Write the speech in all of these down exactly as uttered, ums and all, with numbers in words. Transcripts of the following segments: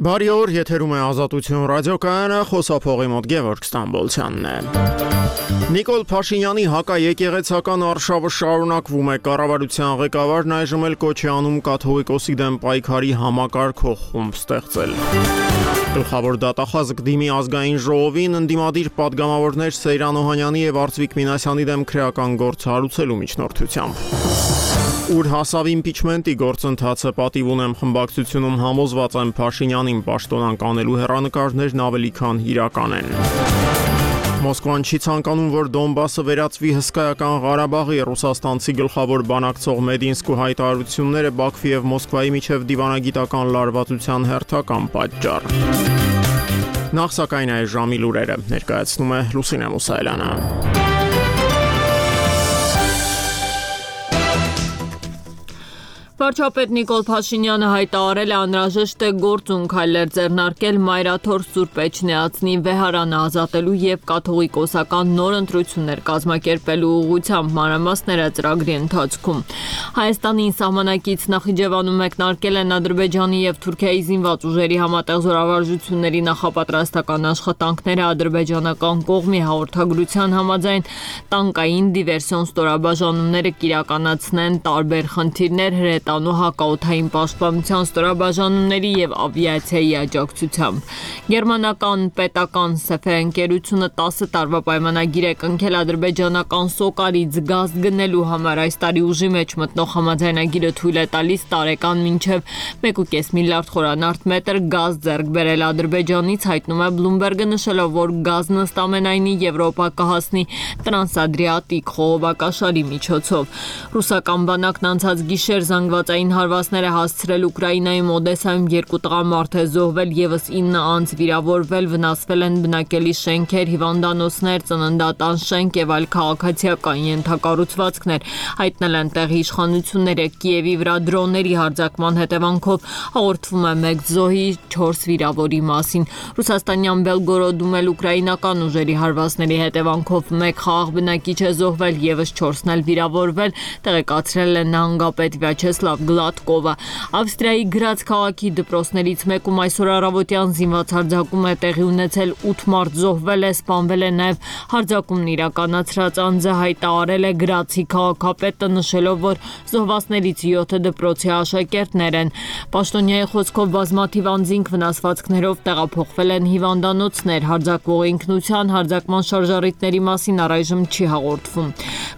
Բարի օր, եթերում է Ազատություն ռադիոկայանը, խոսափողի մոտ Գևորգ Ստամբոլցյանն է։ Նիկոլ Փաշինյանի հակաեկեղեցական արշավը շարունակվում է, կառավարության ղեկավարն այժմ էլ կոչ է անում կաթողիկոսի դեմ պայքարի համակարգող խումբ ստեղծել։ Գլխավոր դատախազգ դիմի ազգային ժողովին ընդդիմադիր պատգամավորներ Սեյրան Օհանյանի եւ Արծվիկ Մինասյանի դեմ քրեական գործ հարուցելու միջնորդությամբ։ Ուր հասավ իմպիչմենտի գործընթացը, պատիվ ունեմ խմբակցությունում համոզված եմ Փաշինյանին պաշտոնանկ անելու հեռանկարներն ավելի քան իրական են։ Մոսկվան չի ցանկանում, որ Դոնբասը վերածվի հսկայական Ղարաբաղի, ռուսաստանցի գլխավոր բանակցող Մեդինսկու հայտարարությունները Բաքվի եւ Մոսկվայի միջև դիվանագիտական լարվածության հերթական պատճառ։ Նախ սակայն այս ժամի լուրերը ներկայացնում է Լուսինե Մուսայելյանը։ Վարչապետ Նիկոլ Փաշինյանը հայտարարել է անհրաժեշտ է գործուն քայլեր ձեռնարկել Մայրաթոր Սուրբ Էջմիածնի վեհարանը ազատելու եւ կաթողիկոսական նոր ընտրություններ կազմակերպելու ուղղությամբ մանրամասները ծրագրի ընթացքում։ Հայաստանի սահմանակից Նախիջևանում մեկնարկել են Ադրբեջանի եւ Թուրքիայի զինված ուժերի համատեղ զորավարժությունների նախապատրաստական աշխատանքները ադրբեջանական կողմի հաղորդագրության համաձայն տանկային դիվերսիոն ստորաբաժանումները կիրականացնեն տարբեր խնդիրներ հրետանու հակաօդային պաշտպանության ստորաբաժանումների եւ ավիացիայի աջակցությամբ։ Գերմանական պետական Սեֆե ընկերությունը տասը տարվա պայմանագիր է կնքել ադրբեջանական Սոկարից գազ գնելու համար։ Այս տարի ուժի մեջ մտնող համաձայնագիրը թույլ է տալիս տարեկան մինչև մեկ ու կես միլիարդ խորանարդ մետր գազ ձեռք բերել Ադրբեջանից, հայտնում է Բլումբերգը, նշելով, որ գազն ըստ ամենայնի Եվրոպա կհասնի Տրանսադրիատիկ խողովակաշարի միջոցով։ Ռուսական բանակն անցած գիշեր զանգվածային հարվածներ է հասցրել Ուկրաինայում, Օդեսայում երկու տղամարդ է զոհվել, եւս ինը անձ վիրավորվել, վնասվել են բնակելի շենքեր, հիվանդանոցներ, ծննդատան շենք եւ այլ քաղաքացիական ենթակառուցվածքներ, հայտնել են տեղի իշխանությունները։ Կիևի վրա դրոնների հարձակման հետևանքով հաղորդվում է մեկ զոհի, չորս վիրավորի մասին։ Ռուսաստանյան Բելգորոդում էլ ուկրաինական ուժերի հարվածների հետևանքով մեկ խաղաղ բնակիչ է զոհվել, եւս չորսն էլ վիրավորվել, տեղեկացրել է նահանգապետ Վյաչեսլավ Գլատկովը։ Ավստրիայի Գրաց քաղաքի դպրոցներից մեկում այսօր առավոտյան զինված հարձակում է տեղի ունեցել, ութ մարդ զոհվել է, սպանվել է նաև հարձակումն իրականացրած անձը, հայտարարել է Գրացի քաղաքապետը, նշելով, որ զոհվածներից յոթը դպրոցի աշակերտներ են։ Պաշտոնյայի խոսքով բազմաթիվ անձինք վնասվածքներով տեղափոխվել են հիվանդանոցներ, հարձակվող ինքնության հարձակման շարժառիթների մասին առայժմ չի հաղորդվում։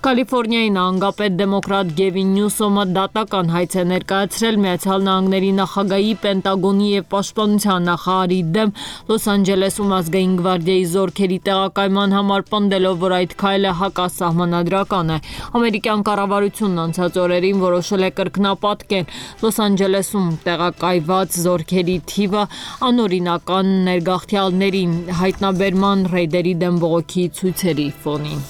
Կալիֆոռնիայի նահանգապետ դեմոկրատ Գևին Նյուսոմը դատական հայց է ներկայացրել Միացյալ Նահանգների նախագահի, Պենտագոնի եւ Պաշտպանության նախարարի դեմ Լոս Անջելեսում ազգային գվարդիայի զորքերի տեղակայման համար, պնդելով, որ այդ քայլը հակասահմանադրական է։ Ամերիկյան կառավարությունն անցած օրերին որոշել է կրկնապատկել Լոս Անջելեսում տեղակայված զորքերի թիվը անօրինական ներգաղթյալների հայտնաբերման ռեյդերի դեմ բողոքի ցույցերի ֆոնին։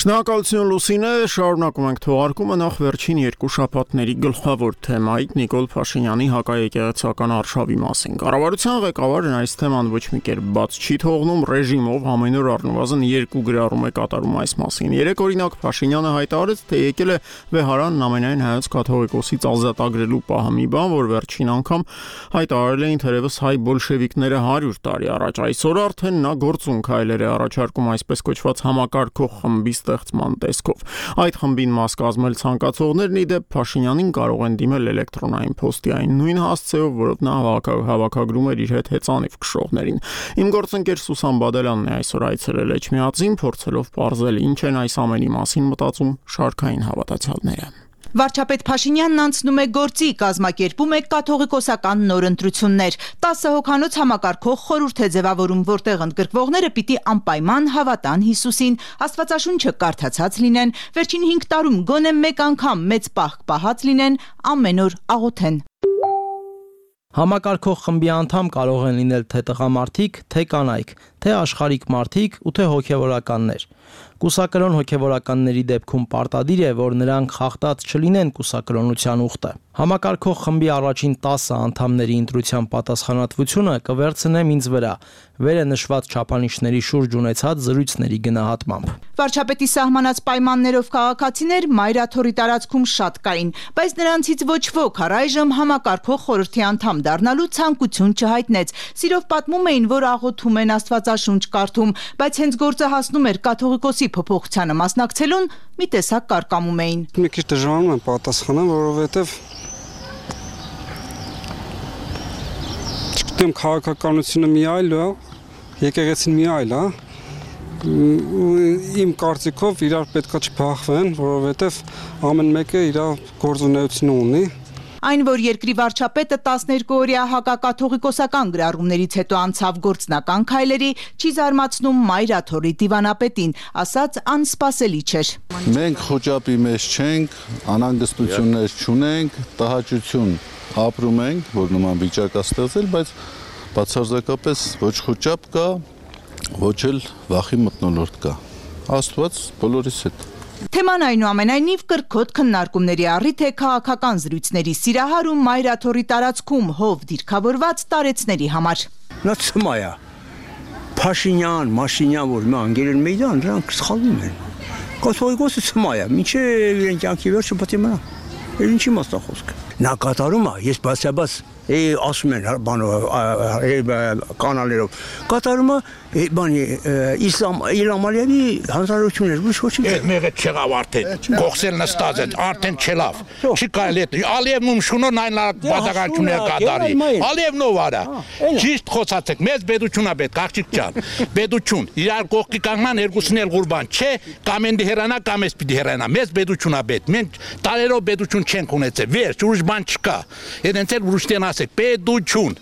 Շնորհակալություն Լուսինե, շարունակում ենք թողարկումը նախ վերջին երկու շաբաթների գլխավոր թեմայից Նիկոլ Փաշինյանի հակաեկեղեցական արշավի մասին։ Կառավարության ղեկավարն այս թեման ոչ մի կերպ բաց չի թողնում, ռեժիմով ամեն օր առնվազն երկու գրառում է կատարում այս մասին։ Երեք օրինակ Փաշինյանը հայտարարեց, թե եկել է վեհարանն ամենայն հայոց կաթողիկոսից ազատագրելու պահը, մի բան, որ վերջին անգամ հայտարարել էին թերևս հայ բոլշևիկները հարյուր տարի առաջ։ Այսօր արդեն նա գործուն քայլեր է առաջարկում այսպես կոչված համակարգող խմբի ստեղծման տեսքով։ Այդ խմբին մաս կազմել ցանկացողներն ի դեպ Փաշինյանին կարող են դիմել էլեկտրոնային փոստի այն նույն հասցեով, որով նա հավաքագրում էր իր հետ հեծանիվ քշողներին։ Իմ գործընկեր Սուսան Բադելյանն է այսօր այցելել Էջմիածին, փորձելով պարզել ինչ են այս ամենի մասին մտածում շարքային հավատացյալները։ Վարչապետ Փաշինյանն անցնում է գործի, կազմակերպում է կաթողիկոսական նոր ընտրություններ։ տասը հոգանոց համակարգող խորհուրդ է ձևավորում, որտեղ ընդգրկվողները պիտի անպայման հավատան Հիսուսին, Աստվածաշունչը կարդացած լինեն, վերջին հինգ տարում գոնե մեկ անգամ մեծ պահք պահած լինեն, ամեն օր աղոթեն։ Համակարգող խմբի անդամ կարող են լինել թե տղամարդիկ, թե կանայք, թե աշխարհիկ մարդիկ ու թե հոգևորականներ։ Կուսակրոն հոգևորականների դեպքում պարտադիր է, որ նրանք խախտած չլինեն կուսակրոնության ուխտը։ Համակարգող խմբի առաջին տասը անդամների ընտրության պատասխանատվությունը կվերցնեմ ինձ վրա, վեր է նշված չափանիշների շուրջ ունեցած զրույցների գնահատմամբ։ Վարչապետի սահմանած պայմաններով քաղաքացիներ Մայրաթորի տարածքում շատ կային, բայց նրանցից ոչ ոք առայժմ համակարգող խորհրդի անդամ դառնալու ցանկություն չհայտնեց։ Սիրով պատմում էին, որ աղոթում են, Աստվածաշունչ կարդում, բայց հենց գործը հասնում էր կաթողիկոսի փոփոխությանը մասնակցելուն, մի տեսակ կարկամում էին։ Մի քիչ դժվարում եմ պատասխանեմ, որովհետև չգիտեմ, քաղաքականությունը մի այլ է, եկեղեցին մի այլ է։ Իմ կարծիքով իրար պետքա չփախվեն, որովհետև ամեն մեկը իր գործունեությունը ունի։ Այն, որ երկրի վարչապետը տասներկու-օրյա հակակաթողիկոսական գրառումներից հետո անցավ գործնական քայլերի, չի զարմացնում Մայրաթորի դիվանապետին, ասաց անսպասելի չէր։ Մենք խոճապի մեջ չենք, անհանգստություններ չունենք, տհաճություն ապրում ենք, որ նման վիճակ է ստեղծել, բայց բացարձակապես ոչ խոճապ կա, ոչ էլ վախի մթնոլորտ կա։ Աստված բոլորիս հետ։ Թեման այնուամենայնիվ կրկոտ քննարկումների առիթ է քաղաքական զրույցների սիրահարում Մայրաթորի տարածքում հով դիրքավորված տարեցների համար։ Նա ցմայ է։ Փաշինյան, Մաշինյան, որ մա անգելեն մեյդան, նրանք սխալվում են։ Կաթողիկոսը ցմայ է, մինչև իրեն կյանքի վերջը պետք է մնա։ Էլ ինչի մասնա խոսքը։ Նա կատարում է, ես բացաբաց ասում են բանով կանալերով կատարումը բանի իսլամ Իլհամ Ալիևի հանրություններ ոչ ոչինչ։ Այդ մեղը չեղավ արդեն կողսել նստած է արդեն չելավ չի կարելի է Ալիևն ում շունոն այն բացակայություններ կատարի Ալիևն ով արա ճիշտ խոսացեք մեծ բեդությունա պետք աղջիկ ջան բեդություն իրար կողքի կանգնան երկուսին էլ ղուրբան չէ կամ են դիհրանա կամ էս պիտի հրանա մեծ բեդությունա պետք մենք տարերով բեդություն չենք ունեցել վերջ ուրիշ բան չկա այդենց էլ ուրիշտեն ասեք բեդություն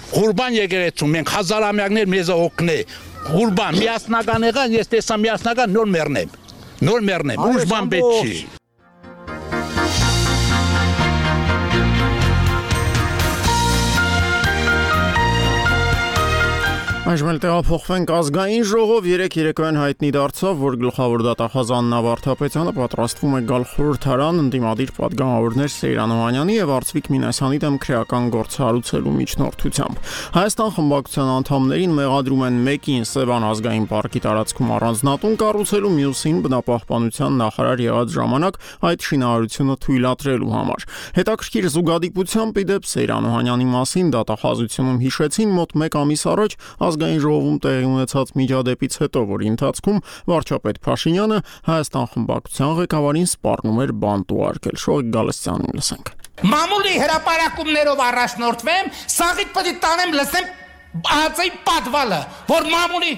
Ղուրբան եկեղեցում մենք հազարամյակներ մեզ օգնե Ղուրբան միասնական եղան ես տեսա միասնական նոր մեռնեմ նոր մեռնեմ ուրիշ բան պետք չի Այժմ էլ տեղափոխվենք ազգային ժողով երեք երեկոյան հայտնի դարձավ, որ գլխավոր դատախազ Աննա Վարդապետյանը պատրաստվում է գալ խորհրդարան ընդդիմադիր պատգամավորներ Սեյրան Օհանյանի եւ Արծվիկ Մինասյանի դեմ քրեական գործ հարուցելու միջնորդությամբ։ Հայաստան խմբակցության անդամներին մեղադրում են մեկին Սևան ազգային պարկի տարածքում առանձնատուն կառուցելու, մյուսին բնապահպանության նախարար եղած ժամանակ այդ շինարարությունը թույլատրելու համար։ Հետաքրքիր զուգադիպությամբ իդեպ Սեյրան Օհանյանի մասին դատախազությունում հիշեցին մոտ մեկ ամիս առաջ Ազգային ժողովում տեղի ունեցած միջադեպից հետո, որի ընթացքում վարչապետ Փաշինյանը Հայաստան խմբակցության ղեկավարին սպառնում էր բանտ ուղարկել։ Շողիկ Գալստյանին լսենք։ Մամուլի հրապարակումներով առաջնորդվեմ, սաղիթ պետք է տանեմ լսեմ ածեի պատվալը, որ մամուլի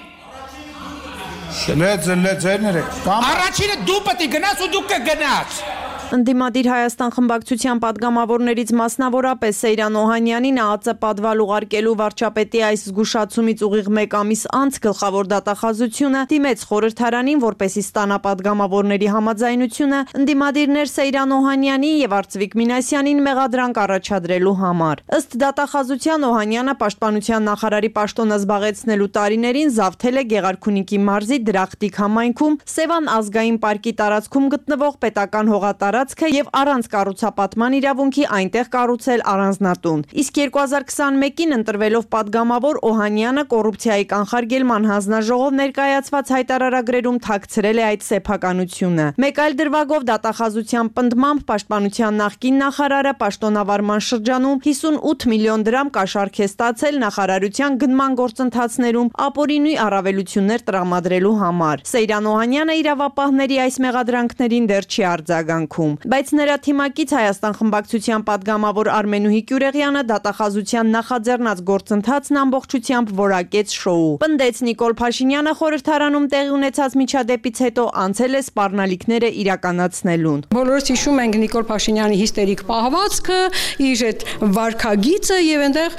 Լեծ լեծերները Առաջինը դու պետք է գնաս ու դու կգնաս Ընդդիմադիր Հայաստան խմբակցության պատգամավորներից մասնավորապես Սեյրան Օհանյանին ԱԱԾ պատվալ ուղարկելու վարչապետի այս զգուշացումից ուղիղ մեկ ամիս անց գլխավոր դատախազությունը դիմեց խորհրդարանին, որպեսզի ստանա պատգամավորների համաձայնությունը ընդդիմադիրներ Սեյրան Օհանյանի եւ Արծվիկ Մինասյանին մեղադրանք առաջադրելու համար։ Ըստ դատախազության Օհանյանը պաշտպանության նախարարի պաշտոնը զբաղեցնելու տարիներին զավթել է Գեղարքունիքի մարզի Դրախտիկ համայնքում Սևան ազգային պարկի տարածքում գտնվող պետական հողատարածք եւ առանց կառուցապատման իրավունքի այնտեղ կառուցել առանձնատուն։ Իսկ երկու հազար քսաներկուին ընտրվելով պատգամավոր Օհանյանը կոռուպցիայի կանխարգելման հանձնաժողով ներկայացված հայտարարագրերում թաքցրել է այդ սեփականությունը։ Մեկ այլ դրվագով դատախազության պնդմամբ պաշտպանության նախկին նախարարը պաշտոնավարման շրջանում հիսունութ միլիոն դրամ կաշառք է ստացել նախարարության գնման գործընթացներում ապօրինի առավելություններ տրամադրելու համար։ Սեյրան Օհանյանը իրավապահների այս մեղադրանքներին դեռ չի արձագանքում։ Բայց նրա թիմակից Հայաստան խմբակցության պատգամավոր Արմենուհի Կյուրեղյանը դատախազության նախաձեռնած գործընթացն ամբողջությամբ որակեց շոու։ Պնդեց Նիկոլ Փաշինյանը խորհրդարանում տեղի ունեցած միջադեպից հետո անցել է սպառնալիքները իրականացնելուն։ Բոլորս հիշում ենք Նիկոլ Փաշինյանի հիստերիկ պահվածքը, իր այդ վարքագիծը եւ այնտեղ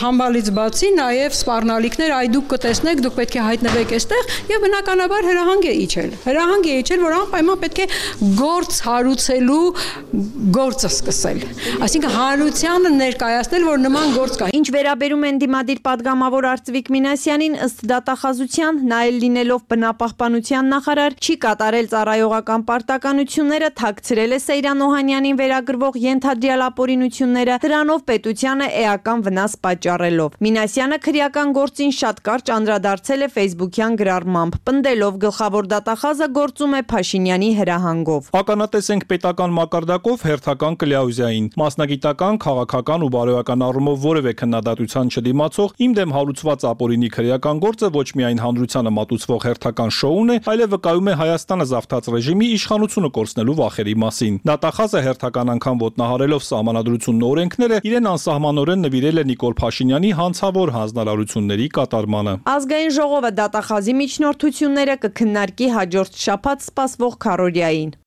համբալից բացի նաեւ սպառնալիքներ, այ դուք կտեսնեք, դուք պետք է հայտնվեք այստեղ եւ բնականաբար հրահանգ է իջել։ Հրահանգ է իջել, որ անպայման պետք է գործ հարուց կառուցելու գործը սկսել։ Այսինքն հանրությանը ներկայացնել, որ նման գործ կա։ Ինչ վերաբերում են դիմադիր падգամավոր Արծվիկ Մինասյանին, ըստ դատախազության, նա էլ լինելով բնապահպանության նախարար, չի կատարել ծառայողական պարտականությունները, թաքցրել է Սեյրան Օհանյանին վերագրվող ենթադրյալ ապօրինությունները, դրանով պետությանը էական վնաս պատճառելով։ Մինասյանը քրեական գործին շատ կարճ անդրադարձել է Facebook-յան գրառմամբ, պնդելով գլխավոր դատախազը գործում է Փաշինյանի հրահանգով։ Ականատեսենք պետական մակարդակով հերթական կլյաուզիային, մասնագիտական, քաղաքական ու բարոյական առումով որևէ քննադատության չդիմացող իմ դեմ հարուցված ապօրինի քրեական գործը ոչ միայն հանրությանը մատուցվող հերթական շոուն է, այլև վկայում է Հայաստանը զավթած ռեժիմի իշխանությունը կորցնելու վախերի մասին։ Դատախազը հերթական անգամ ոտնահարելով սահմանադրությունն ու օրենքները, իրեն անսահմանորեն նվիրել է Նիկոլ Փաշինյանի հանցավոր հանձնարարությունների կատարմանը։ Ազգային ժողովը դատախազի միջնորդությունները կքննարկի հաջորդ շաբաթ սպասվող քառօրյային։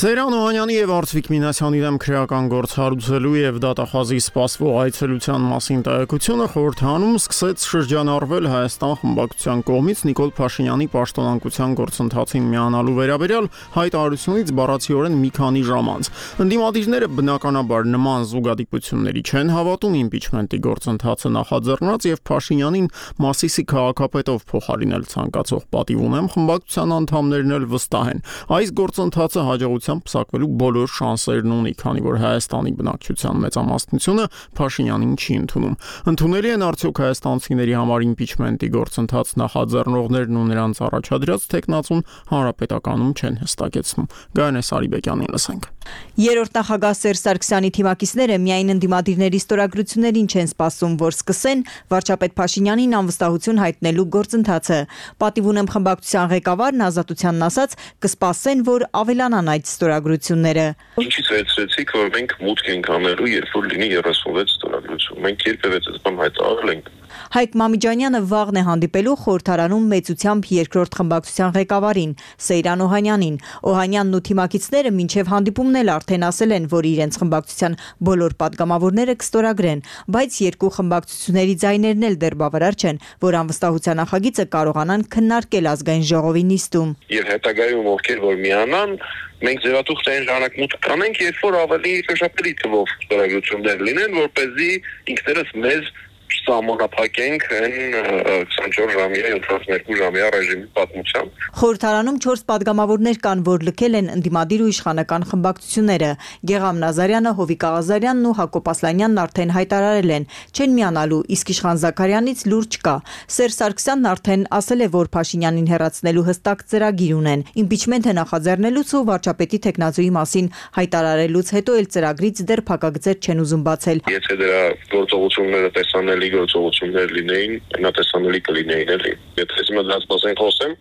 Սեյրան Օհանյանի եւ Արծվիկ Մինասյանի դեմ քրեական գործ հարուցելու եւ դատախազի սպասվող այցելության մասին տեղեկությունը խորհրդանում սկսեց շրջանառվել Հայաստան խմբակցության կողմից Նիկոլ Փաշինյանի պաշտոնանկության գործընթացին միանալու վերաբերյալ հայտարարությունից բառացիորեն մի քանի ժամ անց։ Ընդդիմադիրները բնականաբար նման զուգադիպությունների չեն հավատում, իմպիչմենտի գործընթացը նախաձեռնած եւ Փաշինյանին Մասիսի քաղաքապետով փոխարինել ցանկացող պատիվ ունեմ խմբակցության անդամներն էլ վստահ են։ Այս գործընթացը հաջողության պսակվելու բոլոր շանսերն ունի, քանի որ Հայաստանի բնակչության մեծամասնությունը Փաշինյանին չի ընդունում։ Ընդունելի են արդյոք հայաստանցիների համար իմպիչմենտի գործընթաց նախաձեռնողներն ու նրանց առաջադրած տեխնացուն հանրապետականում չեն հստակեցնում։ Գայանե Սարիբեկյանին լսենք։ Երրորդ նախագահ Սերժ Սարգսյանի թիմակիցները միայն ընդդիմադիրների ստորագրություններին չեն սպասում, որ սկսեն վարչապետ Փաշինյանին անվստահություն հայտնելու գործընթացը։ Պատիվ ունեմ խմբակցության ղեկավարն ազատությանն ասաց, կսպասեն, որ ավելանան այդ ստորագրությունները։ Ինչից վերցրեցիք, որ մենք մուտք ենք անելու, երբ որ լինի երեսունվեց ստորագրություն։ Մենք երբևէ այս բան հայտարարել ենք։ Հայկ Մամիջանյանը վաղն է հանդիպելու խորհրդարանում մեծությամբ երկրորդ խմբակցության ղեկավարին Սեյրան Օհանյանին։ Օհանյանն ու թիմակիցները մինչև հանդիպումն էլ արդեն ասել են, որ իրենց խմբակցության բոլոր падգամավորները կստորագրեն, բայց երկու խմբակցությունների ձայներն էլ դեռ բավարար չեն, որ անվստահության նախագիծը կարողանան քննարկել ազգային ժողովի նիստում։ Եվ հետագայում ովքեր որ միանան, մենք ձևաթուղթային ժամանակ կանենք, երբ որ ավելի շոշափելի թվով ստորագրություններ լինեն, որպեսզի ինքներս մեզ սահմանափակենք այն քսանչորս ժամյա յոթանասունյոթ ժամյա ռեժիմի պատմությամբ։ Խորհրդարանում չորս падգամավորներ կան, որ լքել են ընդդիմադիր ու իշխանական խմբակցությունները։ Գեգամ Նազարյանը, Հովիկ Աղազարյանն ու Հակոբ Ասլանյանն արդեն հայտարարել են, չեն միանալու, իսկ Իշխան Զաքարյանից լուրջ կա։ Սերժ Սարգսյանն արդեն ասել է, որ Փաշինյանին հեռացնելու հստակ ծրագիր ունեն։ Իմպիչմենթը նախաձեռնելուց ու վարչապետի տեխնացուի մասին հայտարարելուց հետո էլ ծրագրից դեռ փակագծեր չեն ուզում բացել։ Եթե դրա գործողությունները տեսանելի գործողություններ լինեին, այնատեսանելի կլինեին էլի։ Եթե հիմա դրանց մասին խոսեմ,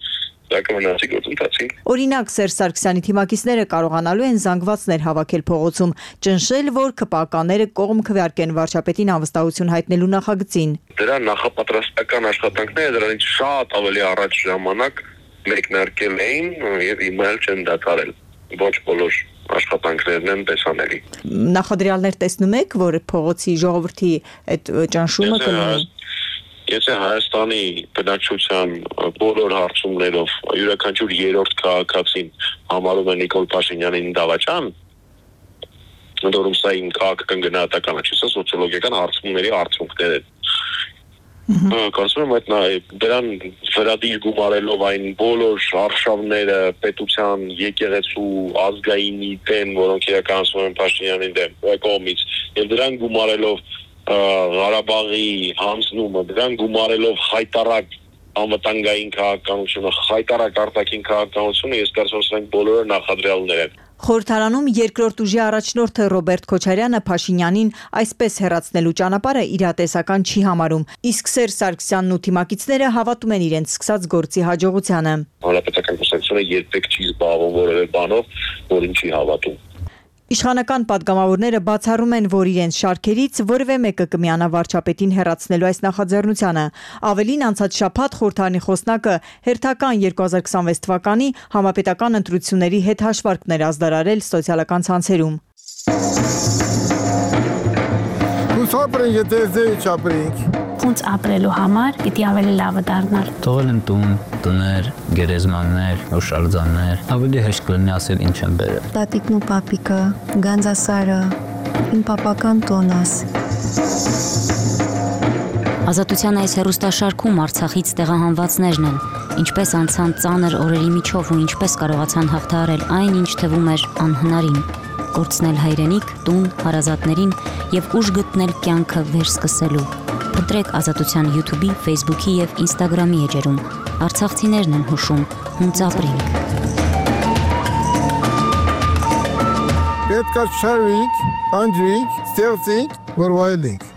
դա կմնացի գործընթացի։ Օրինակ Սերժ Սարգսյանի թիմակիցները կարողանալու են զանգվածներ հավաքել փողոցում, ճնշել, որ ԿՊԱ-կաները կողմ քվեարկեն վարչապետին անվստահություն հայտնելու նախագծին։ Դրա նախապատրաստական աշխատանքները դրանից շատ ավելի առաջ ժամանակ մեկնարկել էին եւ հիմա էլ չեն դադարել։ Ոչ բոլոր աշխատանքներն են տեսանելի։ Նախադրյալներ տեսնում եք, որ փողոցի ժողովրդի այդ ճնշումը կլինի։ Եթե Հայաստանի բնակչության բոլոր հարցումներով յուրաքանչյուր երրորդ քաղաքացին համարում է Նիկոլ Փաշինյանին դավաճան, ընդորում սա իմ քաղաքական գնահատականը չի, սա սոցիոլոգիական հարցումների արդյունքներ են։ Կարծում եմ այդ դրան վերադիր գումարելով այն բոլոր արշավները պետության եկեղեցու ազգայինի դեմ, որոնք իրականացվում են Փաշինյանի դեմ կողմից, եւ դրան գումարելով Ղարաբաղի հանձնումը, դրան գումարելով հայտարարակ անվտանգային քաղաքականությունը, հայտարարակ արտաքին քաղաքականությունը, ես կարծում եմ սրանք բոլորը նախադրյալներ են։ Խորհրդարանում երկրորդ ուժի առաջնորդը Ռոբերտ Քոչարյանը Փաշինյանին այսպես հեռացնելու ճանապարհը իրատեսական չի համարում, իսկ Սերժ Սարգսյանն ու թիմակիցները հավատում են իրենց սկսած գործի հաջողությանը։ Հանրապետական կուսակցությունը երբեք չի զբաղվում որևէ բանով, որին չի հավատում։ Իշխանական падգամավորները բացառում են, որ իրենց շարքերից որևէ մեկը կմիանա վարչապետին հեռացնելու այս նախաձեռնությանը։ Ավելին անցած շաբաթ խորհրդարանի խոսնակը հերթական երկու հազար քսանվեց թվականի համապետական ընտրությունների հետ հաշվարկներ ազդարարել սոցիալական ցանցերում։ Ոնց ապրենք, եթե ձեր չապրենք։ Ոնց ապրելու համար պիտի ավելի լավը դառնալ։ Թողել են տուն, տներ, գերեզմաններ, հուշարձաններ, ավելի հեշտ կլինի ասել ինչ են բերել։ Տատիկն ու պապիկը, Գանձասարը, իմ պապական տոնաս։ Ազատության այս հեռուստաշարքում Արցախից տեղահանվածներն են, ինչպես անցան ծանր օրերի միջով ու ինչպես կարողացան հաղթահարել այն, ինչ թվում էր անհնարին, կորցնել հայրենիք, տուն, հարազատներին եւ ուժ գտնել կյանքը վերսկսելու։ Փնտրեք Ազատության YouTube-ի, Facebook-ի եւ Instagram-ի էջերում։ Արցախցիներն են հուշում, հունց ապրենք։ Պետք է շարվենք, անջվենք, ստեղծենք, որ վայելենք։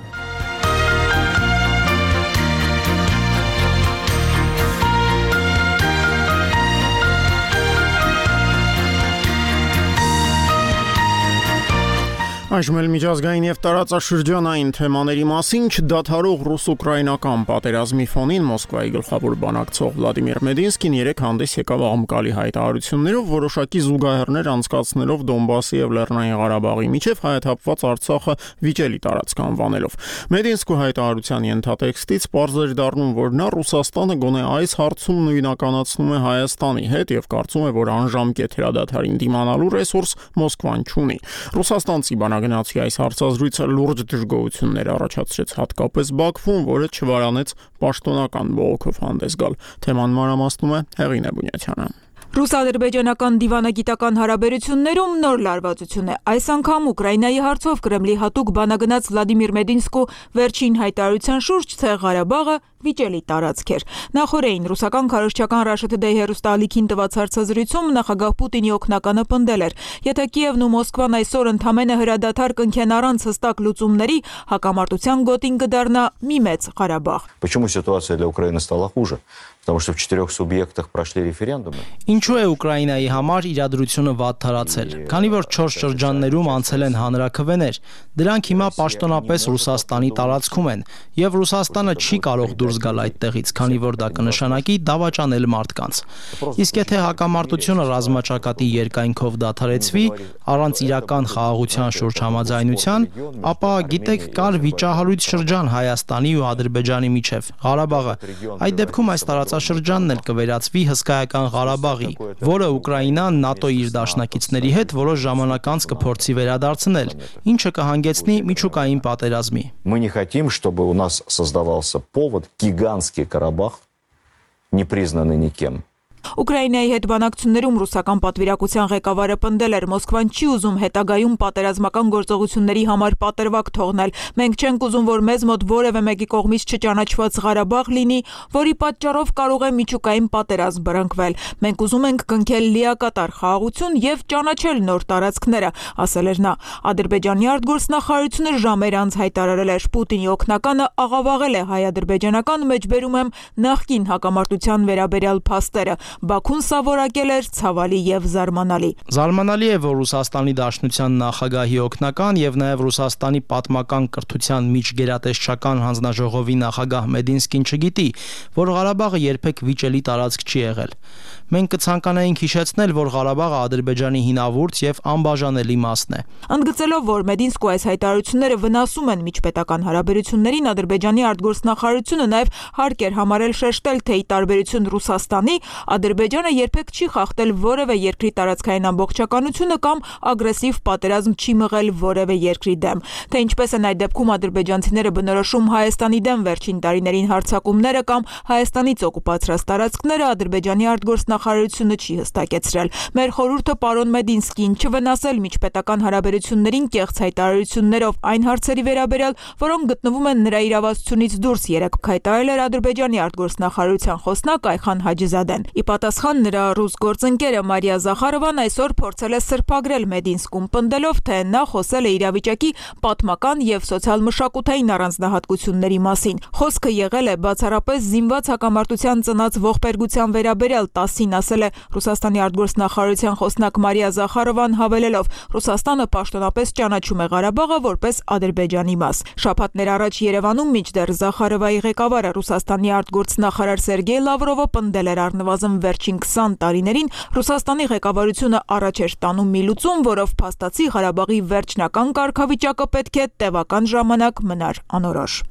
Այժմ էլ միջազգային եւ տարածաշրջանային թեմաների մասին չդադարող ռուս-ուկրաինական պատերազմի ֆոնին Մոսկվայի գլխավոր բանակցող Վլադիմիր Մեդինսկին երեկ հանդես եկավ աղմկալի հայտարարություններով, որոշակի զուգահեռներ անցկացնելով Դոնբասի եւ Լեռնային Ղարաբաղի միջև հայաթափված Արցախը վիճելի տարածք անվանելով։ Մեդինսկու հայտարարության ենթատեքստից պարզ էր դառնում, որ նա Ռուսաստանը գոնե այս հարցում նույնականացնում է Հայաստանի հետ եւ կարծում է, որ անժամկետ հրադադարին դիմանալու ռեսուրս Մոսկվան չունի։ Ռուսաստանցի բանագնացի այս հարցազրույցը լուրջ դժգոհություններ առաջացրեց հատկապես Բաքվում, որը չվարանեց պաշտոնական բողոքով հանդես գալ։ Թեման մանրամասնում է Հեղինե Բունյաթյանը։ Ռուս-ադրբեջանական դիվանագիտական հարաբերություններում նոր լարվածություն է։ Այս անգամ Ուկրաինայի հարցով Կրեմլի հատուկ բանագնաց Վլադիմիր Մեդինսկու վերջին հայտարարության շուրջ Ցեղ Ղարաբաղը վիճելի տարածք էր։ Նախորդին ռուսական քարոզչական Russia Today հեռուստաալիքին տված հարցազրույցում նախագահ Պուտինի օգնականը պնդել էր. Եթե Կիևն ու Մոսկվան այսօր ընդամենը հրադադար կնքեն առանց հստակ լուծումների, հակամարտության գոտին կդառնա մի մեծ Ղարաբաղ։ Почему ситуация для Украины стала хуже? Потому что в четырех субъектах прошли референдумы. Ինչու է Ուկրաինայի համար իրադրությունը վատ թարացել։ Քանի որ չորս շրջաններում անցել են հանրաքվեներ, դրանք հիմա պաշտոնապես Ռուսաստանի տարածքում են, եւ Ռուսաստանը չի կարող դուրս գալ այդտեղից, քանի որ դա կնշանակի դավաճանել մարդկանց։ Իսկ եթե հակամարտությունը ռազմաճակատի երկայնքով դադարեցվի, առանց իրական խաղաղության շուրջ համաձայնության, ապա գիտեք, կար վիճահարույց շրջան Հայաստանի ու Ադրբեջանի միջև, Ղարաբաղը։ Այդ դեպքում այս տարածաշրջանն էլ կվերածվի հսկայական Ղարաբաղի, որը Ուկրաինան ՆԱՏՕ-ի իր դաշնակիցների հետ որոշ ժամանակ անց կփորձի վերադարձնել, ինչը կհանգեցնի միջուկային պատերազմի։ Мы не хотим, чтобы у нас создавался повод гигантский Карабах, не признанный никем. Ուկրաինայի հետ բանակցություններում ռուսական պատվիրակության ղեկավարը պնդել էր Մոսկվան չի ուզում հետագայում պատերազմական գործողությունների համար պատրվակ թողնել։ Մենք չենք ուզում, որ մեզ մոտ որևէ մեկի կողմից չճանաչված Ղարաբաղ լինի, որի պատճառով կարող է միջուկային պատերազմ բռնկվել։ Մենք ուզում ենք կնքել լիակատար խաղաղություն եւ ճանաչել նոր տարածքները, ասել էր նա։ Ադրբեջանի արտգործնախարարությունը ժամեր անց հայտարարել էր Պուտինի օգնականը աղավաղել է հայ-ադրբեջանական մեջբերում եմ նախկին հակամարտության վերաբերյալ փաստերը։ Բաքուն սա որակել էր ցավալի եւ զարմանալի։ Զարմանալի է, որ Ռուսաստանի Դաշնության նախագահի օգնական եւ նաեւ Ռուսաստանի պատմական կրթության միջգերատեսչական հանձնաժողովի նախագահ Մեդինսկին չգիտի, որ Ղարաբաղը երբեք վիճելի տարածք չի եղել։ Մենք կցանկանայինք հիշեցնել, որ Ղարաբաղը Ադրբեջանի հինավուրց եւ անբաժանելի մասն է։ Ընդգծելով, որ Մեդինսկու այս հայտարարությունները վնասում են միջպետական հարաբերություններին, Ադրբեջանի արտգործնախարարությունը նաեւ հարկ էր համարել շեշտել, թե ի տարբերություն Ռուսաստանի, Ադրբեջանը երբեք չի խախտել որևէ երկրի տարածքային ամբողջականությունը կամ ագրեսիվ պատերազմ չի մղել որևէ երկրի դեմ։ Թե ինչպես են այդ դեպքում ադրբեջանցիները բնորոշում Հայաստանի դեմ վերջին տարիներին հարձակումները կամ Հայաստանից օկուպացրած տարածքները, Ադրբեջանի արտգործնախարարությունը չի հստակեցրել։ Մեր խորհուրդը պարոն Մեդինսկին չվնասել միջպետական հարաբերություններին կեղծ հայտարարություններով այն հարցերի վերաբերյալ, որոնք գտնվում են նրա իրավասությունից դուրս, երեկ հայտարարել էր Ադրբեջանի արտգործնախարարության խոսնակ Այխան Հաջիզադեն։ Ի պատասխան նրա ռուս գործընկերը Մարիա Զախարովան այսօր փորձել է սրբագրել Մեդինսկում, պնդելով, թե նա խոսել է իրավիճակի պատմական եւ սոցիալ-մշակութային առանձնահատկությունների մասին։ Խոսքը եղել է բացառապես զինված հակամարտության ծնած ողբերգության վերաբերյալ տասին Բաղդասարյանին ասել է Ռուսաստանի արտգործնախարարության խոսնակ Մարիա Զախարովան, հավելելով. Ռուսաստանը պաշտոնապես ճանաչում է Ղարաբաղը որպես Ադրբեջանի մաս։ Շաբաթներ առաջ Երևանում մինչդեռ Զախարովայի ղեկավարը Ռուսաստանի արտգործնախարար Սերգեյ Լավրովը պնդել էր առնվազն վերջին քսան տարիներին Ռուսաստանի ղեկավարությունը առաջ էր տանում մի լուծում, որով փաստացի Ղարաբաղի վերջնական կարգավիճակը պետք է տևական ժամանակ մնար անորոշ։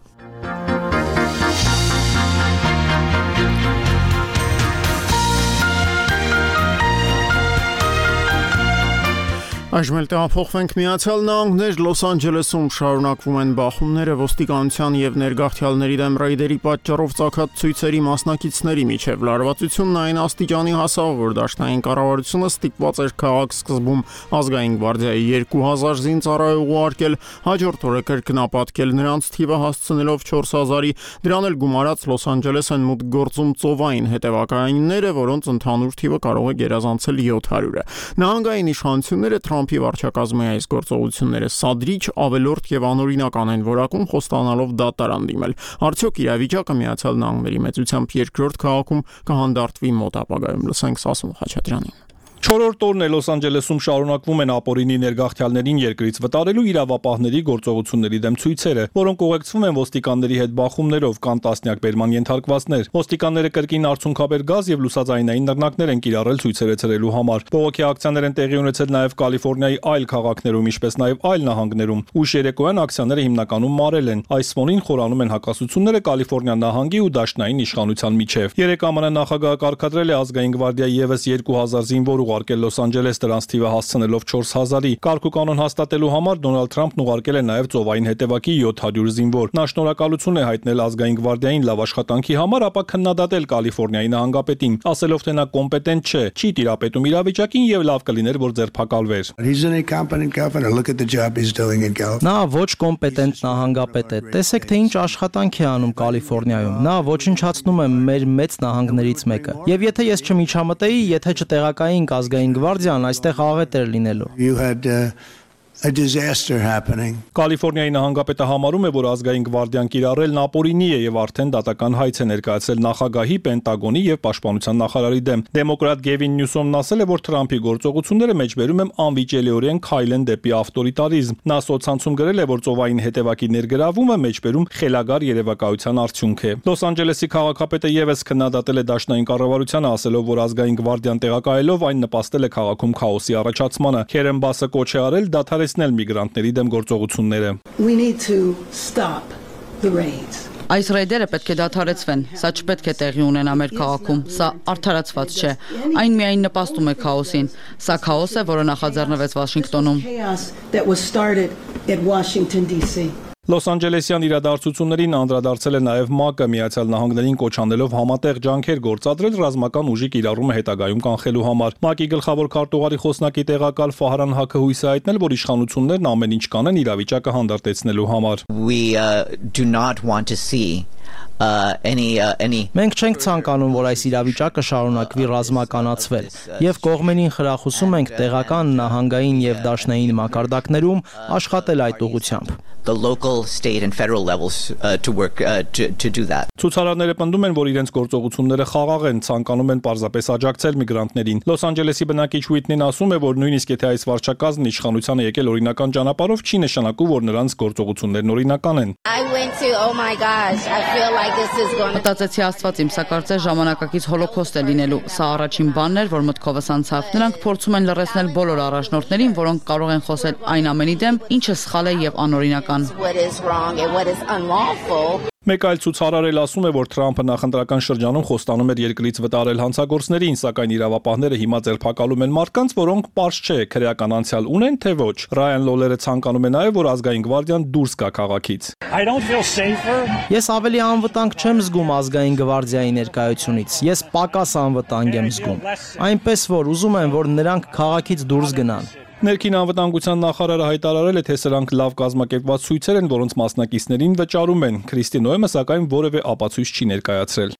Այժմ էլ տեղափոխվենք Միացյալ Նահանգներ, Լոս Անջելեսում շարունակվում են բախումները ոստիկանության եւ ներգաղթյալների դեմ ռեյդերի պատճառով ծագած ցույցերի մասնակիցների միջև։ Լարվածությունն այն աստիճանի հասավ, որ դաշնային կառավարությունը ստիպված էր քաղաք սկզբում ազգային գվարդիայի երկու հազար զինծառայող ուղարկել, հաջորդ օրը կրկնապատկել նրանց թիվը հասցնելով չորս հազարի, դրան էլ գումարած Լոս Անջելես են մուտք գործում ծովային հետևակայանները, որոնց ընդհանուր թիվը կարող է գերազանցել յոթ հարյուրը։ Նահանգային իշխանությունները Թրամփի վարչակազմի այս գործողությունները սադրիչ, ավելորդ եւ անօրինական են որակում, խոստանալով դատարան դիմել։ Արդյոք իրավիճակը Միացյալ Նահանգների մեծությամբ երկրորդ քաղաքում կհանդարտվի մոտ ապագայում։ Լսենք Սասուն Խաչատրյանին։ Չորրորդ օրն է Լոս Անջելեսում շարունակվում են ապօրինի ներգաղթյալներին երկրից վտարելու իրավապահների գործողությունների դեմ ցույցերը, որոնք ուղեկցվում են ոստիկանների հետ բախումներով, կան տասնյակ բերման ենթարկվածներ։ Ոստիկանները կրկին արցունքաբեր գազ եւ լուսաձայնային նռնակներ են կիրառել ցույցերը ցրելու համար։ Բողոքի ակցիաներ են տեղի ունեցել նաեւ Կալիֆոռնիայի այլ քաղաքներում, ինչպես նաեւ այլ նահանգներում։ Ուշ երեկոյան ակցիաները հիմնականում մարել են։ Այս ֆոնին խորանում են հակասությունները Կալիֆոռնիա նահանգի ու դաշնային իշխանության միջև։ Երեք ԱՄՆ նախագահը կարգադրել է ազգային գվարդիայի եւս երկու հազար զինվոր ուղարկել Լոս Անջելես, դրանց թիվը հասցնելով չորս հազարի։ Կարգ ու կանոն հաստատելու համար Դոնալդ Թրամփն ուղարկել է նաև ծովային հետևակի յոթ հարյուր զինվոր։ Նա շնորհակալություն է հայտնել ազգային գվարդիային լավ աշխատանքի համար, ապա քննադատել Կալիֆոռնիայի նահանգապետին, ասելով, թե նա կոմպետենտ չէ, չի տիրապետում իրավիճակին եւ լավ կլիներ, որ ձերբակալվեր։ Նա ոչ կոմպետենտ նահանգապետ է։ Տեսեք, թե ինչ աշխատանք է անում Կալիֆոռնիայում։ Նա ոչնչացնում է մեր մեծ նահանգներից մեկը։ Եվ եթե ես չմիջամտեի, եթե չտեղակայինք ազգային գվարդիան, այստեղ աղետ էր լինելու։ A disaster happening. Կալիֆոռնիայի նահանգապետը համարում է, որ ազգային գվարդիան կիրառելն ապօրինի է եւ արդեն դատական հայց է ներկայացել նախագահի, Պենտագոնի եւ պաշտպանության նախարարի դեմ։ Դեմոկրատ Գևին Նյուսոմն ասել է, որ Թրամփի գործողությունները մեջբերում են անվիճելիորեն քայլ են դեպի ավտորիտարիզմ։ Նա սոցցանցում գրել է, որ ծովային հետևակի ներգրավումը մեջբերում խելագար երևակայության արդյունք է։ Լոս Անջելեսի քաղաքապետը եւս քննադատել է դաշնային կառավարությանը, ասելով, որ ազգային գվարդիան տեղակայելով այն նպաստել է քաղաքում քաոսի առաջացմանը։ Քերեն Բասը կոչ է արել դադարեցնել միգրանտների դեմ գործողությունները։ We need to stop the raids. Այս ռեյդերը պետք է դադարեցվեն։ Սա չպետք է տեղի ունենա մեր քաղաքում։ Սա արդարացված չէ։ Այն միայն նպաստում է քաոսին։ Սա քաոս է, որը նախաձեռնվեց Վաշինգտոնում։ Լոս Անջելեսյան իրադարձություններին անդրադարձել է նաև ՄԱԿ-ը, Միացյալ Նահանգներին կոչ անելով համատեղ ջանքեր գործադրել ռազմական ուժի կիրառումը հետագայում կանխելու համար։ ՄԱԿ-ի գլխավոր քարտուղարի խոսնակի տեղակալ Ֆահրան Հակը հույս է հայտնել, որ իշխանություններն ամեն ինչ կանեն իրավիճակը հանդարտեցնելու համար։ We uh, do not want to see Uh, any, uh, any... Մենք չենք ցանկանում, որ այս իրավիճակը շարունակվի ռազմականացվել, եւ կողմերին խրախուսում ենք տեղական, նահանգային եւ դաշնային մակարդակներում աշխատել այդ ուղղությամբ։ The local, state and federal levels uh, to work uh, to to do that. Ցուցարարները պնդում են, որ իրենց գործողությունները խաղաղ են, ցանկանում են պարզապես աջակցել միգրանտներին։ Լոս Անջելեսի բնակիչ Ուիթնին ասում է, որ նույնիսկ եթե այս վարչակազմն իշխանությանը եկել օրինական ճանապարհով, չի նշանակում, որ նրանց գործողություններն օրինական են։ I went to oh my gosh, I feel like this is going to Մտածեցի Աստված իմ, սա կարծես ժամանակակից հոլոկոստ է լինելու։ Սա առաջին բանն էր, որ մտքովս անցավ։ Նրանք փորձում են լրացնել բոլոր առաջնորդներին, որոնք կարող են խոսել այն ամենի դեմ, ինչը սխալ է եւ անօրինական։ what is wrong and what is unlawful. Մեկ այլ ցուցարար էլ ասում է, որ Թրամփը նախընտրական շրջանում խոստանում էր երկրից վտարել հանցագործներին, սակայն իրավապահները հիմա ձերբակալում են մարդկանց, որոնք պարզ չէ քրեական անցյալ ունեն թե ոչ։ Ռայան Լոլերը ցանկանում է նաև, որ ազգային գվարդիան դուրս գա քաղաքից։ Ես ավելի անվտանգ չեմ զգում ազգային գվարդիայի ներկայությունից։ Ես պակաս անվտանգ եմ զգում։ Այնպես որ ուզում եմ, որ նրանք քաղաքից դուրս գնան։ Ներքին անվտանգության նախարարը հայտարարել է, թե սրանք լավ կազմակերպված ցույցեր են, որոնց մասնակիցներին վճարում են։ Քրիստի Նոյեմը սակայն որևէ ապացույց չի ներկայացրել։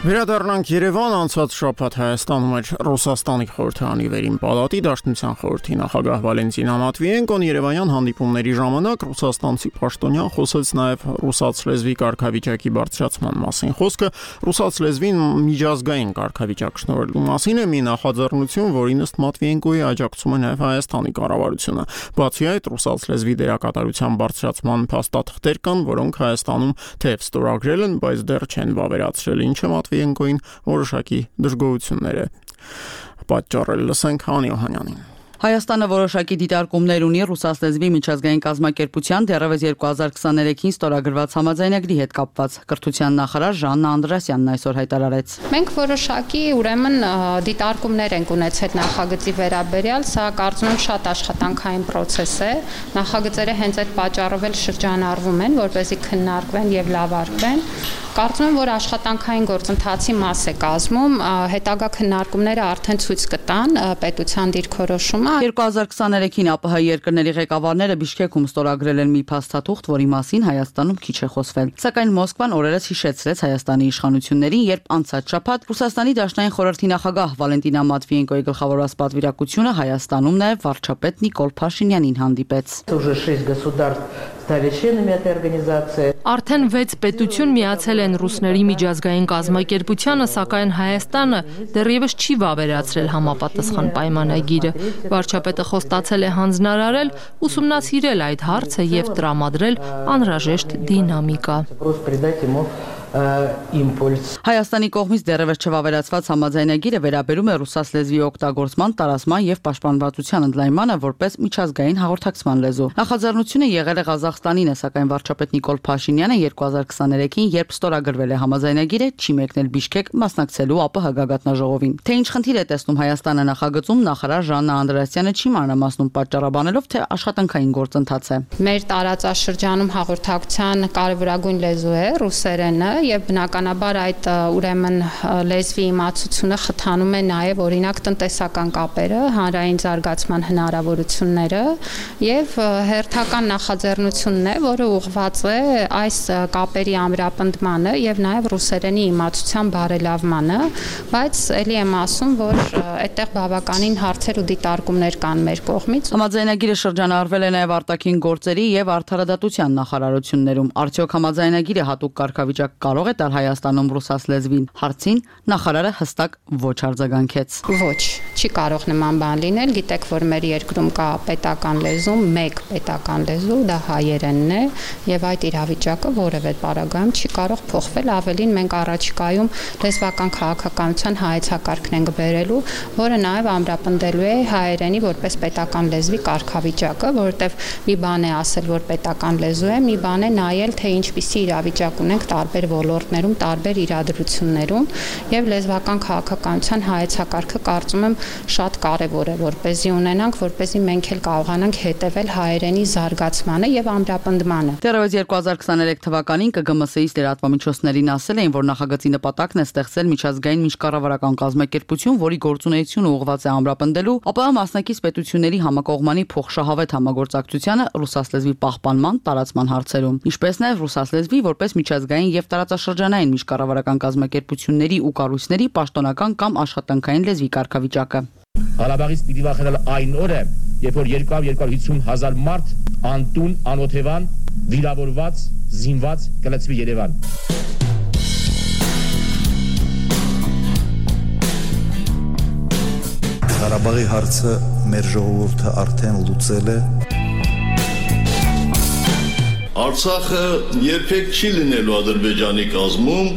Վերադառնանք Երևան, անցած շաբաթ Հայաստանում էր Ռուսաստանի խորհրդարանի վերին պալատի Դաշնության խորհրդի նախագահ Վալենտինա Մատվիենկոն Երևանյան հանդիպումների ժամանակ ռուսաստանցի պաշտոնյան խոսեց նաև ռուսաց լեզվի կարգավիճակի բարձրացման մասին։ Խոսքը ռուսաց լեզվին միջազգային կարգավիճակ շնորհելու մասին է, մի նախաձեռնություն, որին ըստ Մատվիենկոյի աջակցում է նաև Հայաստանի կառավարությունը։ Բացի այդ, ռուսաց լեզվի դերակատարության բարձրացման փաստաթղթեր կան, որոնք Հայաստանում թեև ստորագրել են, բայց դեռ չեն վավերացրել, ինչը Մատվիենկոին որոշակի դժգոհություններ է պատճառել։ Լսենք Հանի Օհանյանին։ Հայաստանը որոշակի դիտարկումներ ունի ռուսաց լեզվի միջազգային կազմակերպության դեռևս երկու հազար քսաներեքին ստորագրված համաձայնագրի հետ կապված։ Կրթության նախարար Ժաննա Անդրասյանն այսօր հայտարարեց. Մենք որոշակի ուրեմն դիտարկումներ ենք ունեցել նախագծի վերաբերյալ, սա կարծում եմ շատ աշխատանքային process է։ Նախագծերը հենց այդ պատճառով էլ շրջանառվում են, որպեսզի քննարկվեն եւ լավարկվեն։ Կարծում եմ, որ աշխատանքային գործընթացի մաս է կազմում, հետագա քննարկումները արդեն ցույց կտան պետության դիրքորոշումը։ երկու հազար քսաներեքին ԱՊՀ երկրների ղեկավարները Բիշկեքում ստորագրել են մի փաստաթուղթ, որի մասին Հայաստանում քիչ է խոսվել։ Սակայն Մոսկվան օրերս հիշեցրեց Հայաստանի իշխանություններին, երբ անցած շաբաթ Ռուսաստանի Դաշնային խորհրդի նախագահ Վալենտինա Մատվիենկոյի գլխավորած պատվիրակությունը Հայաստանում նաև վարչապետ Նիկոլ Փաշինյանին հանդիպեց։ Արդեն վեց պետություն միացել են ռուսների միջազգային կազմակերպությանը, սակայն Հայաստանը դեռևս չի վավերացրել համապատասխան պայմանագիրը։ Վարչապետը խոստացել է հանձնարարել, ուսումնասիրել այդ հարցը եւ տրամադրել անհրաժեշտ դինամիկա։ Հայաստանի կողմից դեռևս չվավերացված համաձայնագիրը վերաբերում է ռուսաց լեզվի օգտագործման, տարածման եւ պաշտպանվածության ընդլայնմանը որպես միջազգային հաղորդակցման լեզու։ Նախաձեռնությունը եղել է Ղազախստանին է, սակայն վարչապետ Նիկոլ Փաշինյանը երկու հազար քսաներեքին, երբ ստորագրվել է համաձայնագիրը, չի մեկնել Բիշկեք մասնակցելու ԱՊՀ գագաթնաժողովին։ Թե ինչ խնդիր է տեսնում Հայաստանը նախագծում, նախարար Ժաննա Անդրասյանը չի մանրամասնում, պատճառաբանելով, թե աշխատանքային գործընթաց է։ Մեր տարածաշրջանում հաղորդակցության կարևորագույն լեզու է ռուսերենը եւ բնականաբար այդ ուրեմն լեզվի իմացությունը խթանում է նաեւ օրինակ տնտեսական կապերը, հանրային զարգացման հնարավորությունները եւ հերթական նախաձեռնությունն է, որը ուղղված է այս կապերի ամրապնդմանը եւ նաեւ ռուսերենի իմացության բարելավմանը, բայց ելի եմ ասում, որ այդտեղ բավականին հարցեր ու դիտարկումներ կան մեր կողմից։ Համաձայնագիրը շրջանառվել է նաեւ արտաքին գործերի եւ արդարադատության նախարարություններում։ Արդյոք համաձայնագիրը հատուկ կարգավիճակ կարող է տալ Հայաստանում ռուսաց լեզվին, հարցին նախարարը հստակ ոչ արձագանքեց։ Ոչ, չի կարող նման բան լինել, գիտեք, որ մեր երկրում կա պետական լեզու, մեկ պետական լեզու, դա հայերենն է, եւ այդ իրավիճակը որևէ պարագայում չի կարող փոխվել, ավելին մենք առաջիկայում լեզվական քաղաքականության հայեցակարգն ենք բերելու, որը նաեւ ամրապնդելու է հայերենի որպես պետական լեզվի կարգավիճակը, որովհետեւ մի բան է ասել, որ պետական լեզու է, մի բան է նայել, թե ինչպիսի իրավիճակ ունենք տարբեր ոլորտներում, տարբեր իրադրություններում եւ լեզվական քաղաքականության հայեցակարգը կարծում եմ շատ կարեւոր է, որպեսզի ունենանք, որպեսզի մենք էլ կարողանանք հետեւել հայերենի զարգացմանը եւ ամրապնդմանը։ Դեռևս երկու հազար քսաներեք թվականին ԿԳՄՍ-ից լրատվամիջոցներին ասել էին, որ նախագծի նպատակն է ստեղծել միջազգային միջկառավարական կազմակերպություն, որի գործունեությունը ուղղված է ամրապնդելու ԱՊՀ մասնակից պետությունների համակողմանի փոխշահավետ համագործակցությանը ռուսաց լեզվի պահպանման, տարածման հարցերում, ինչպես նաեւ ռուսաց լեզվի որպես միջազգային եւ տարածաշրջանային միջկառավարական կազմակերպությունների ու կառույցների պաշտոնական կամ աշխատանքային լեզվի կարգավիճակը։ Ղարաբաղից պիտի վախենալ այն օրը, երբ որ երկու հարյուր հիսուն հազար մարդ անտուն, անօթևան, վիրավորված, զինված կլցվի Երևան։ Ղարաբաղի հարցը մեր ժողովուրդը արդեն լուծել է։ Արցախը երբեք չի լինելու Ադրբեջանի կազմում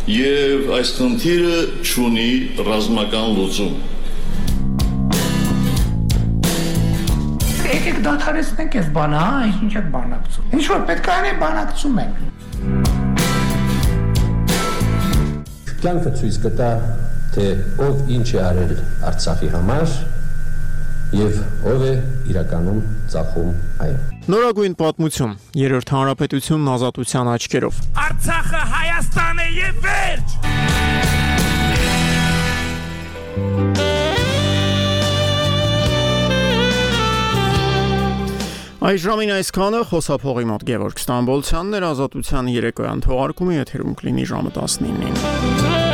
եւ այս խնդիրը չունի ռազմական լուծում։ Եկեք դադարեցնենք այս բանը, հա, ինչ եք բանակցում։ Ինչ որ պետք է անենք, բանակցում ենք։ Կյանքը ցույց կտա, թե ով ինչ է արել Արցախի համար եւ ով է իրականում ծախում այն։ Նորագույն պատմություն, երրորդ հանրապետությունն ազատության աչքերով։ Արցախը Հայաստան է եւ վերջ։ Այս ժամին այսքանը, խոսափողի մոտ Գևորգ Ստամբոլցյանն էր, ազատության երեկոյան թողարկումը եթերում կլինի ժամը տասնինին։